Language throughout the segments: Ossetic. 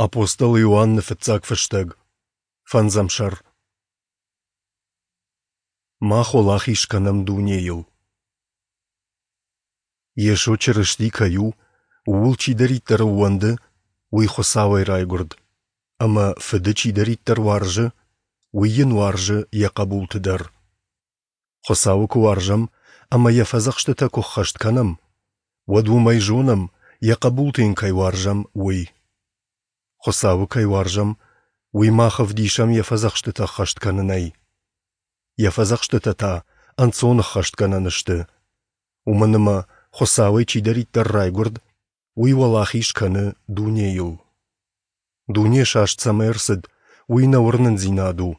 Апостол Иоанны фыццаг фыстӕг, фӕндзӕм сӕр. Мах уӕлахиз кӕнӕм дунейыл. Йесо Чырысти кӕй у, ууыл чидӕриддӕр ӕууӕнды, уый Хуыцауӕй райгуырд, ӕмӕ Фыды чидӕриддӕр уарзы, уый йын уарзы йӕ хъӕбулты дӕр. Хуыцауы куы уарзӕм ӕмӕ йӕ фӕдзӕхстытӕ куы ӕххӕст кӕнӕм, уӕд уымӕй зонӕм, йӕ хъӕбулты йын кӕй уарзӕм, уый. Хуыцауы кӕй уарзӕм, уый мах ӕвдисӕм йӕ фӕдзӕхстытӕ ӕххӕст кӕнынӕй. Йӕ фӕдзӕхстытӕ та ӕнцон ӕххӕстгӕнӕн сты, уымӕн ӕмӕ Хуыцауӕй чидӕриддӕр райгуырд, уый уӕлахиз кӕны дунейыл. Дуне саст цӕмӕ ӕрцыд, уый нӕ уырнындзинад у.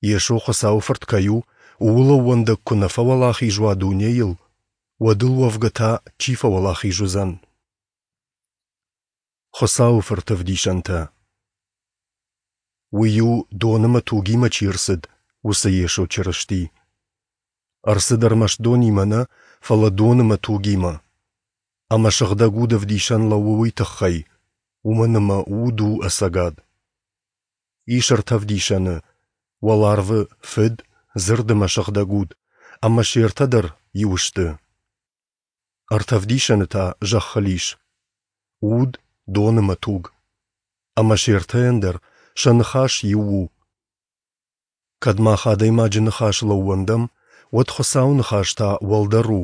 Йесо Хуыцауы Фырт кӕй у, ууыл ӕууӕндӕг куы нӕ фӕуӕлахиз уа дунейыл, уӕд ыл уӕвгӕ та чи фӕуӕлахиз уыдзӕн? Хуыцауы Фырты ӕвдисӕнтӕ. Уый у, дон ӕмӕ тугимӕ чи ӕрцыд, уыцы Йесо Чырысти. Ӕрцыд ӕрмӕст донимӕ нӕ, фӕлӕ дон ӕмӕ тугимӕ. Ӕмӕ Сыгъдӕг Уд ӕвдисӕн лӕууы уый тыххӕй, уымӕн ӕмӕ Уд у ӕцӕгад. Ис ӕртӕ ӕвдисӕны — уӕларвы Фыд, Дзырд ӕмӕ Сыгъдӕг Уд, ӕмӕ се ртӕ дӕр иу сты. Ӕртӕ ӕвдисӕны та зӕххыл ис: уд, дон ӕмӕ туг. Ӕмӕ се ртӕйӕн дӕр сӕ ныхас иу у. Кӕд мах адӕймаджы ныхасыл ӕууӕндӕм, уӕд Хуыцауы ныхас та уӕлдӕр у,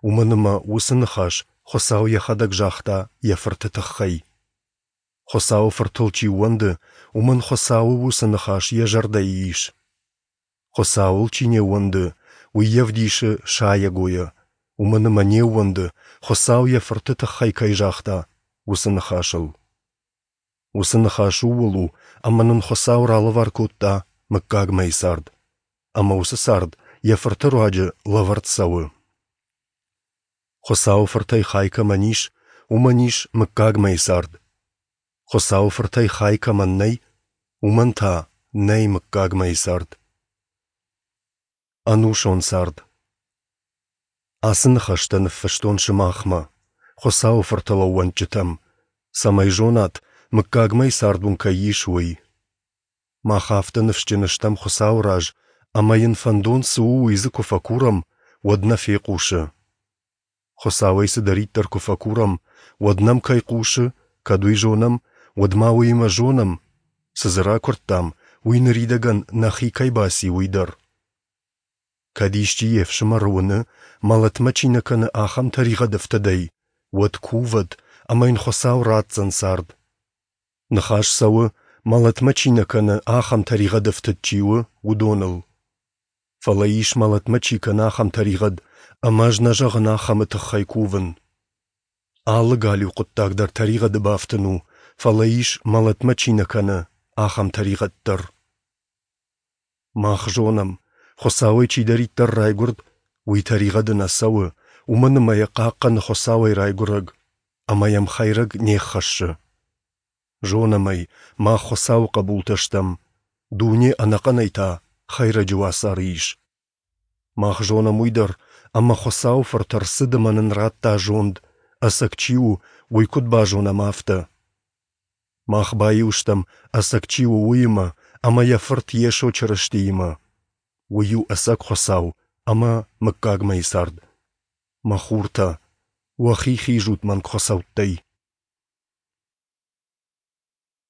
уымӕн ӕмӕ уыцы ныхас Хуыцау йӕхӕдӕг загъта йӕ Фырты тыххӕй. Хуыцауы Фыртыл чи ууӕнды, уымӕн Хуыцауы уыцы ныхас йӕ зӕрдӕйы ис. Хуыцауыл чи не ууӕнды, уый йӕ ӕвдисы сайӕгойӕ, уымӕн ӕмӕ не ууӕнды, Хуыцау йӕ Фырты тыххӕй кӕй загъта, уыцы ныхасыл. Уыцы ныхас ууыл у, ӕмӕ нын Хуыцау ралӕвар кодта мыггагмӕйы цард, ӕмӕ уыцы цард йӕ Фырты руаджы лӕвӕрд цӕуы. Хуыцауы Фыртӕй хай кӕмӕн ис, уымӕн ис мыггагмӕйы цард. Хуыцауы Фыртӕй хай кӕмӕн нӕй, уымӕн та нӕй мыггагмӕйы цард. Ӕнусон цард. Ацы ныхӕстӕ ныффыстон сымахмӕ, Хуыцауы Фыртыл ӕууӕндджытӕм, цӕмӕй зонат, мыггагмӕйы цард уын кӕй ис, уый. Мах афтӕ ныфсджын стӕм Хуыцауы раз, ӕмӕ йын фӕндон цы у, уый дзы куы фӕкурӕм, уӕд нӕ фехъусы. Хуыцауӕй цыдӕриддӕр куы фӕкурӕм, уӕд нӕм кӕй хъусы, кӕд уый зонӕм, уӕд ма уыимӕ зонӕм, цы дзы ракуырдтам, уый ныридӕгӕн нӕхи кӕй баци, уый дӕр. Кӕд исчи йе фсымӕры уыны, мӕлӕтмӕ чи нӕ кӕны, ахӕм тӕригъӕд ӕфтыдӕй, уӕд кувӕд, ӕмӕ йын Хуыцау ратдзӕн цард. Ныхас цӕуы, мӕлӕтмӕ чи нӕ кӕны, ахӕм тӕригъӕд ӕфтыд чи у, уыдоныл. Фӕлӕ ис, мӕлӕтмӕ чи кӕны, ахӕм тӕригъӕд, ӕмӕ ӕз нӕ зӕгъын ахӕмы тыххӕй кувын. Алы галиу хъуыддаг дӕр тӕригъӕды бафтын у, фӕлӕ ис, мӕлӕтмӕ чи нӕ кӕны, ахӕм тӕригъӕд дӕр. Мах зонӕм, Хуыцауӕй чидӕриддӕр райгуырд, уый тӕригъӕды нӕ цӕуы, уымӕн ӕмӕ йӕ хъахъхъӕны Хуыцауӕй райгуырӕг, ӕмӕ йӕм хӕйрӕг не ххӕссы. Зонӕм ӕй, мах Хуыцауы хъӕбултӕ стӕм, дуне ӕнӕхъӕнӕй та хӕйрӕджы уацары ис. Мах зонӕм уый дӕр, ӕмӕ Хуыцауы Фырт ӕрцыд ӕмӕ нын радта зонд, ӕцӕг чи у, уый куыд базонӕм, афтӕ. Мах баиу стӕм, ӕцӕг чи у, уыимӕ ӕмӕ йӕ Фырт Йесо Чырыстиимӕ. Уый у ӕцӕг Хуыцау ӕмӕ мыггагмӕйы цард. Мӕ хуртӕ, уӕхи хизут мӕнгхуыцӕуттӕй.